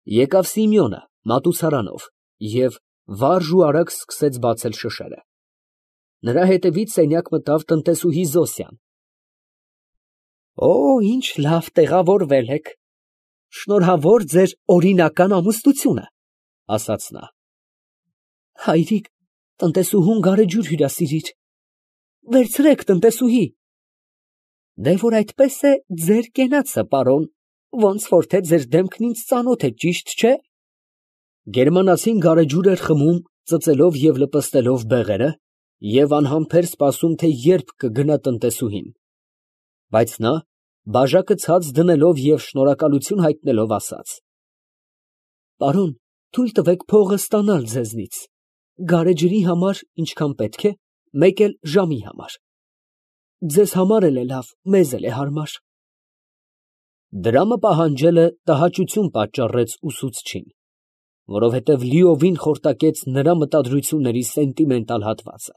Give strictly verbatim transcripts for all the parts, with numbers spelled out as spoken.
Եկավ Սիմեոնը մատուցարանով և վարժ ու արագ սկսեց բացել շշերը։ Նրա հետևից սենյակ մտավ տնտեսուհի Զոսյան։ Օ, ինչ լավ տեղավորվել եք, շնորհավոր ձեր օրինական ամուսնությունը, ասաց նա։ Հայրիկ, տնտեսուհուն գարեջուր հյուրասիրիր։ Վերցրեք, տնտեսուհի։ Դե որ այդպես է, ձեր կենացը, պարոն, ոնց որ թե ձեր դեմքն ինձ ծանոթ է, ճիշտ չէ։ Գերմանացին գարեջուր էր խմում, ծծելով և լպստելով բեղերը, և անհամբեր սպասում, թե երբ կգնա տնտեսուհին։ Բայց նա, բաժակը ցած դնելով և շնորհակալություն հայտնելով, ասաց. Պարոն, թույլ տվեք փողը ստանալ ձեզնից, գարեջրի համար ինչքան պետք է, մեկ էլ ժամի համար։ Ձեզ համար էլ է լավ, մեզ էլ է հարմար։ Դրամը պահանջելը տհաճություն պատճառեց ուսուցչին, որովհետև լիովին խորտակեց նրա մտադրությունների սենտիմենտալ հատվածը։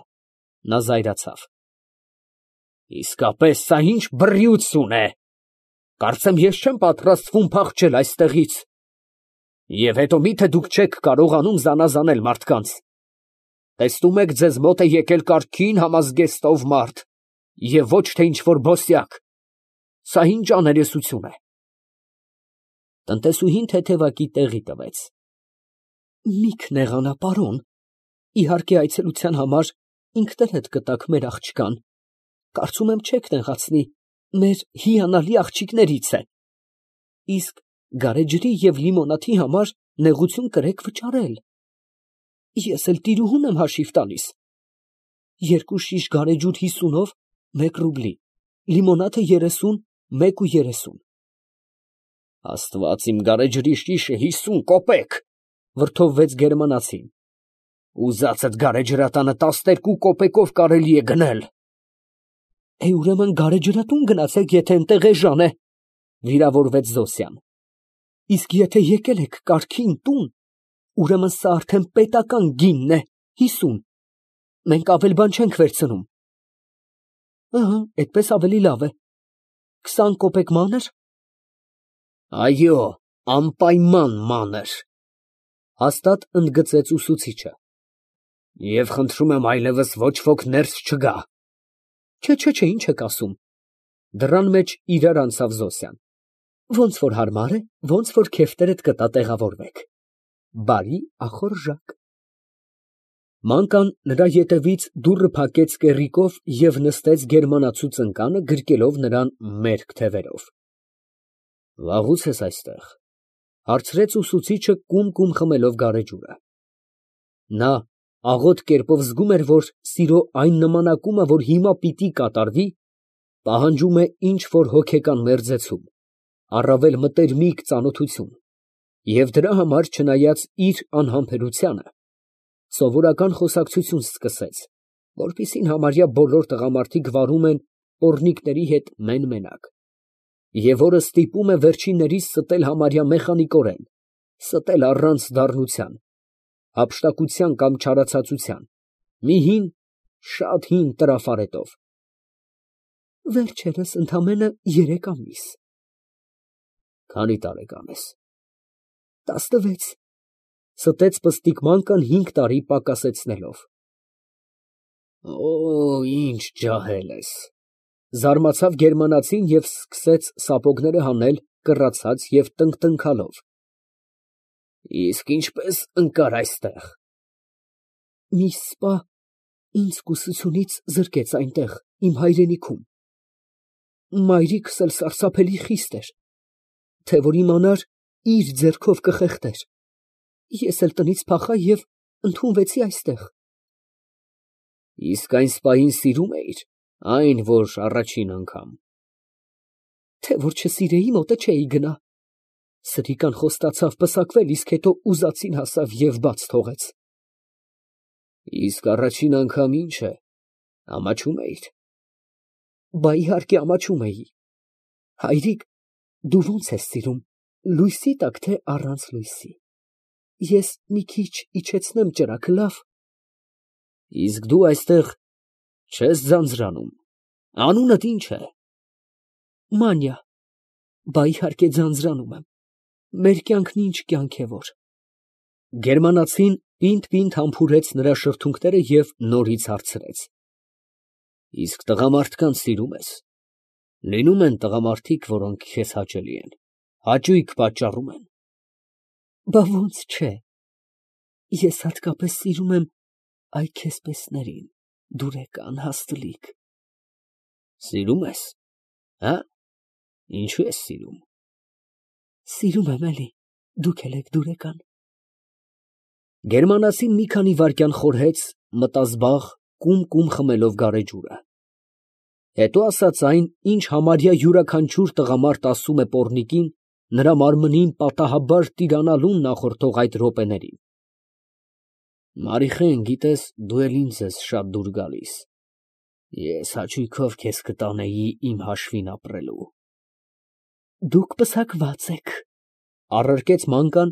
Նա զայրացավ։ Իսկապես, սա ինչ բռիություն է։ Կարծեմ, ես չեմ պատրաստվում փախչել այստեղից։ Եվ հետո մի՞թե դուք չեք կարողանում զանազանել մարդկանց։ Տեսնում եք, ձեզ մոտ է եկել կարգին համազգեստով մարդ, և ոչ թե ինչ֊որ բոսյակ։ Սա ինչ աներեսություն է։ Տնտեսուհին թեթևակի տեղի տվեց։ Մի քնեղանա, պարոն, իհարկե այցելության համար ինքներդ կտաք մեր աղջկան, կարծում եմ չեք նեղացնի, մեր հիանալի աղջիկներից է։ Իսկ գարեջրի և լիմոնադի համար նեղություն կրեք վճարել։ Ես էլ տիրուհուն եմ հաշիվ տալիս։ Երկու շիշ գարեջուր հիսունով, մեկ ռուբլի, լիմոնադը երեսուն, մեկ ու երեսուն։ Աստված իմ, գարեջրի շիշը հիսուն կոպեկ, վրդովվեց գերմանացին։ Ուզածդ գարեջրատանը տասներկու կոպեկով կարելի է գնել։ Է, ուրեմն գարեջրատուն գնացեք, եթե այնտեղ էժան է, վիրավորվեց Զոսյան։ Իսկ եթե եկել եք կարգին տուն, ուրեմն սա արդեն պետական գինն է, հիսուն, մենք ավել բան չենք վերցնում։ Ահա, այդպես ավելի լավ է։ Քսան կոպեկ մանր։ Այո, անպայման մանր, հաստատ ընդգծեց ուսուցիչը։ Եվ խնդրում եմ այլևս ոչ ոք ներս չգա։ Չէ, չէ, չէ, ինչ եք ասում։ Դռան մեջ իրար անցավ Զոսյան։ Ոնց որ հարմար է, ոնց որ քեֆտերդ կտա տեղավորվեք։ Բարի ախորժակ։ Մանկան նրա ետևից դուռը փակեց կեռիկով և նստեց գերմանացու ծնկանը, գրկելով նրան մերկ թևերով։ Վաղո՞ւց ես այստեղ, հարցրեց ուսուցիչը կում֊կում խմելով գարեջուրը։ Նա աղոտ կերպով զգում էր, որ սիրո այն նմանակումը, որ հիմա պիտի կատարվի, պահանջում է ինչ֊որ հոգեկան մերձեցում, առավել մտերմիկ ծանոթություն, և դրա համար, չնայած իր անհամբերությանը, սովորական խոսակցություն սկսեց, որպիսին համարյա բոլոր տղամարդիկ վարում են պոռնիկների հետ մեն֊մենակ, և որը ստիպում է վերջիններիս ստել համարյա մեխանիկորեն, ստել առանց դառնության, հափշտակության կամ չարացածության, մի հին, շատ հին տրաֆարետով։ Վերջերս ընդամենը երեք ամիս։ Քանի տարեկան ես։ Տասնվեց, ստեց պստիկ մանկան հինգ տարի պակասեցնելով։ Օ, ինչ ջահել ես, զարմացավ գերմանացին և սկսեց սապոգները հանել, կռացած և տնկտնքալով։ Իսկ ինչպես ընկար այստեղ։ Մի սպա ինձ կուսությունից զրկեց այնտեղ, իմ հայրենիքում։ Մայրիկս էլ սարսափելի խիստ էր, թե որ իմանար, իր ձեռքով կխեղդեր։ Ես էլ տնից փախա և ընդունվեցի այստեղ։ Իսկ այն սպային սիրում էիր, այն, որ առաջին անգամ։ Թե որ չսիրեի, մոտը չէի գնա։ Սրիկան խոստացավ պսակվել, իսկ հետո ուզածին հասավ և բաց թողեց։ Իսկ առաջին անգամ ի՞նչ է, ամաչում էիր։ Բա իհարկե ամաչում էի։ Հայրիկ, դու ո՞նց ես սիրում, լույսի տակ, թե առանց լույսի։ Ես մի քիչ իջեցնեմ ճրագը, լավ։ Իսկ դու այստեղ չես ձանձրանում, անունդ ի՞նչ է։ Մանյա։ Բա իհարկե ձանձրանում եմ։ Մեր կյանքն ինչ կյանք է որ։ Գերմանացին պինդ֊պինդ համբուրեց նրա շրթունքները և նորից հարցրեց. Իսկ տղամարդկանց սիրում ես։ Լինում են տղամարդիկ, որոնք քեզ հաճելի են, հաճույք պատճառում են։ Բա ոնց չէ։ Ես հատկապես սիրում եմ այ քեզպեսներին, դուրեկան, հաստլիկ։ Սիրում ես, հա՞։ Ինչու ես սիրում։ Սիրում եմ էլի, դուք էլ եք դուրեկան։ Գերմանացին մի քանի վայրկյան խորհեց, մտազբաղ, կում֊կում խմելով գարեջուրը։ Հետո ասաց այն, ինչ համարյա յուրաքանչյուր տղամարդ ասում է պոռնիկին, նրա մարմնին պատահաբար տիրանալուն նախորդող այդ րոպեներին։ Մարիխեն, գիտես, դու էլ ինձ ես շատ դուր գալիս։ Ես հաճույքով քեզ կտանեի իմ հաշվին ապրելու։ Դուք պսակված եք, առարկեց մանկան,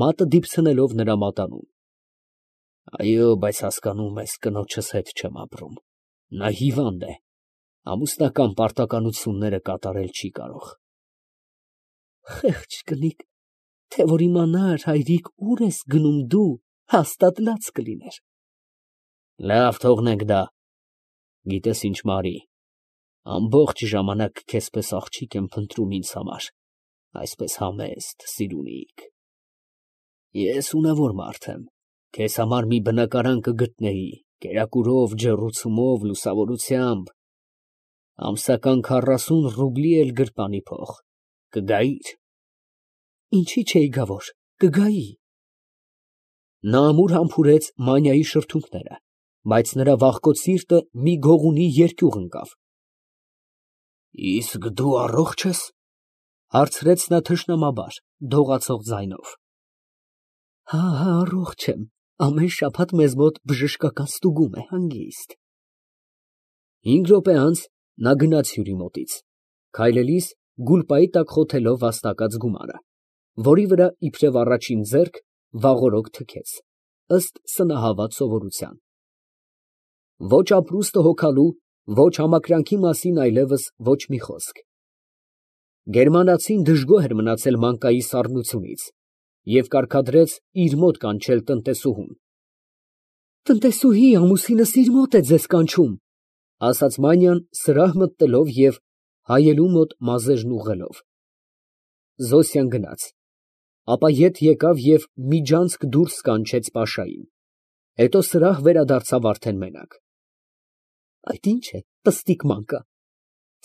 մատը դիպցնելով նրա մատանուն։ Այո, բայց հասկանում ես, կնոջս հետ չեմ ապրում։ Նա հիվանդ է, ամուսնական պարտականությունները կատարել չի կարող։ Խեղճ կնիկ, թե որ իմանար հայրիկ ուր ես գնում դու, հաստատ լաց կլիներ։ Լավ, թողնենք դա։ Գիտես ինչ, Մարի, ամբողջ ժամանակ քեզպես աղջիկ եմ փնտրում ինձ համար, այսպես համեստ, սիրունիկ։ Ես ունևոր մարդ եմ, քեզ համար մի բնակարան կգտնեի, կերակուրով, ջեռուցումով, լուսավորությամբ, ամսական քառասուն ռուբլի էլ գրպանի փող, կգայիր։ Ինչի չէի գա որ, կգայի։ Նա ամուր համբուրեց Մանյայի շրթունքները, բայց նրա վախկոտ սիրտը մի գողունի երկյուղ ընկավ։ Իսկ դու առողջ ես, հարցրեց նա թշնամաբար, դողացող ձայնով։ Հա, հա, առողջ եմ, ամեն շաբաթ մեզ մոտ բժշկական ստուգում է, հանգիստ։ Հինգ րոպե անց նա գնաց հյուրի մոտից, քայլելիս գուլպայի տակ խոթելով վաստակած գումարը, որի վրա իբրև առաջին ձեռք վաղօրոք թքեց, ըստ սնահավատ սովորության։ Ոչ ապրուստը հոգալու, ոչ համակրանքի մասին այլևս ոչ մի խոսք։ Գերմանացին դժգոհ էր մնացել մանկայի սառնությունից և կարգադրեց իր մոտ կանչել տնտեսուհուն։ Տնտեսուհի, ամուսինս իր մոտ է ձեզ կանչում, ասաց Մանյան սրահ մտնելով և հայելու մոտ մազերն ուղղելով։ Զոսյան գնաց, ապա ետ եկավ և միջանցք դուրս կանչեց Պաշային, հետո սրահ վերադարձավ արդեն մենակ։ Այդ ի՞նչ է, պստիկ մանկա,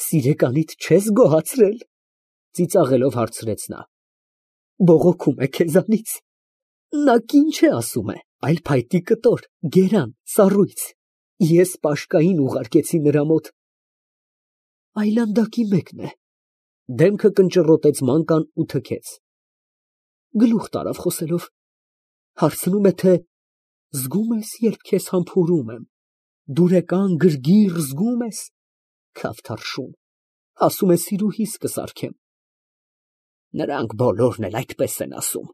սիրեկանիդ չես գոհացրել, ծիծաղելով հարցրեց նա։ Բողոքում է քեզանից։ Նա կին չէ ասում է, այլ փայտի կտոր, գերան, սառույց, ես Պաշկային ուղարկեցի նրա մոտ։ Այլանդակի մեկն է, դեմքը կնճռոտեց մանկան ու թքեց։ Գլուխ տարավ խոսելով, հարցնում է, թե զգում ես, երբ քեզ համբուրում եմ, դուրեկան գրգիռ զգում ես, քավթարշուն, ասում է սիրուհիս կսարքեմ։ Նրանք բոլորն էլ այդպես են ասում,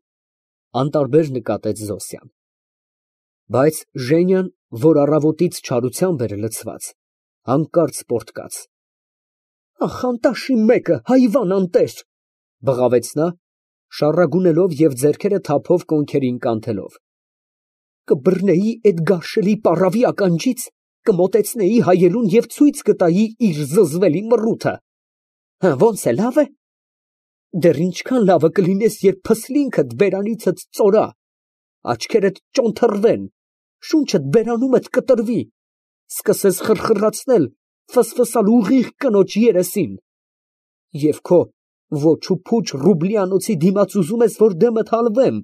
անտարբեր նկատեց Զոսյան։ Բայց Ժենյան, որ առավոտից չարությամբ էր լցված, հանկարծ պոռթկաց։ Ախ, անտաշի մեկը, հայվան անտեր, բղավեց նա, շառագունելով և ձեռքերը թափով կոնքերին կանթելով։ Կբռնեի այդ գարշելի պառավի ականջից, կմոտեցնեի հայելուն և ցույց կտայի իր զզվելի մռութը։ Հը, ոնց է, լավ է։ Դեռ ինչքան լավը կլինես, երբ փսլինքդ բերանիցդ ծորա, աչքերդ ճոնթռվեն, շունչդ բերանումդ կտրվի, սկսես խրխրացնել, ֆսֆսալ ուղիղ կնոջ երեսին, և քո ոչ ու փուչ ռուբլյանոցի դիմաց ուզում ես, որ դեմդ հալվեմ,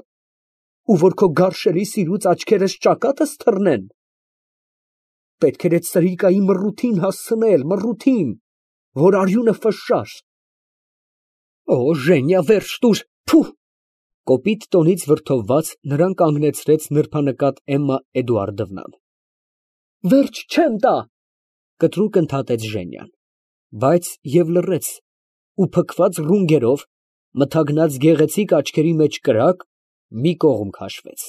ու որ քո գարշելի սիրուց աչքերս ճակատս թռնեն։ Պետք էր այդ սրիկայի մռութին հասցնել, մռութին, որ արյունը ֆշշար։ Օ, Ժենյա, վերջ տուր, փուh։ Կոպիտ տոնից վրդովված նրան կանգնեցրեց նրբանկատ Էմմա Էդուարդովնան։ Վերջ չեմ տա, կտրուկ ընդհատեց Ժենյան, բայց և լռեց, ու փքված ռունգերով, մթագնած գեղեցիկ աչքերի մեջ կրակ, մի կողմ քաշվեց։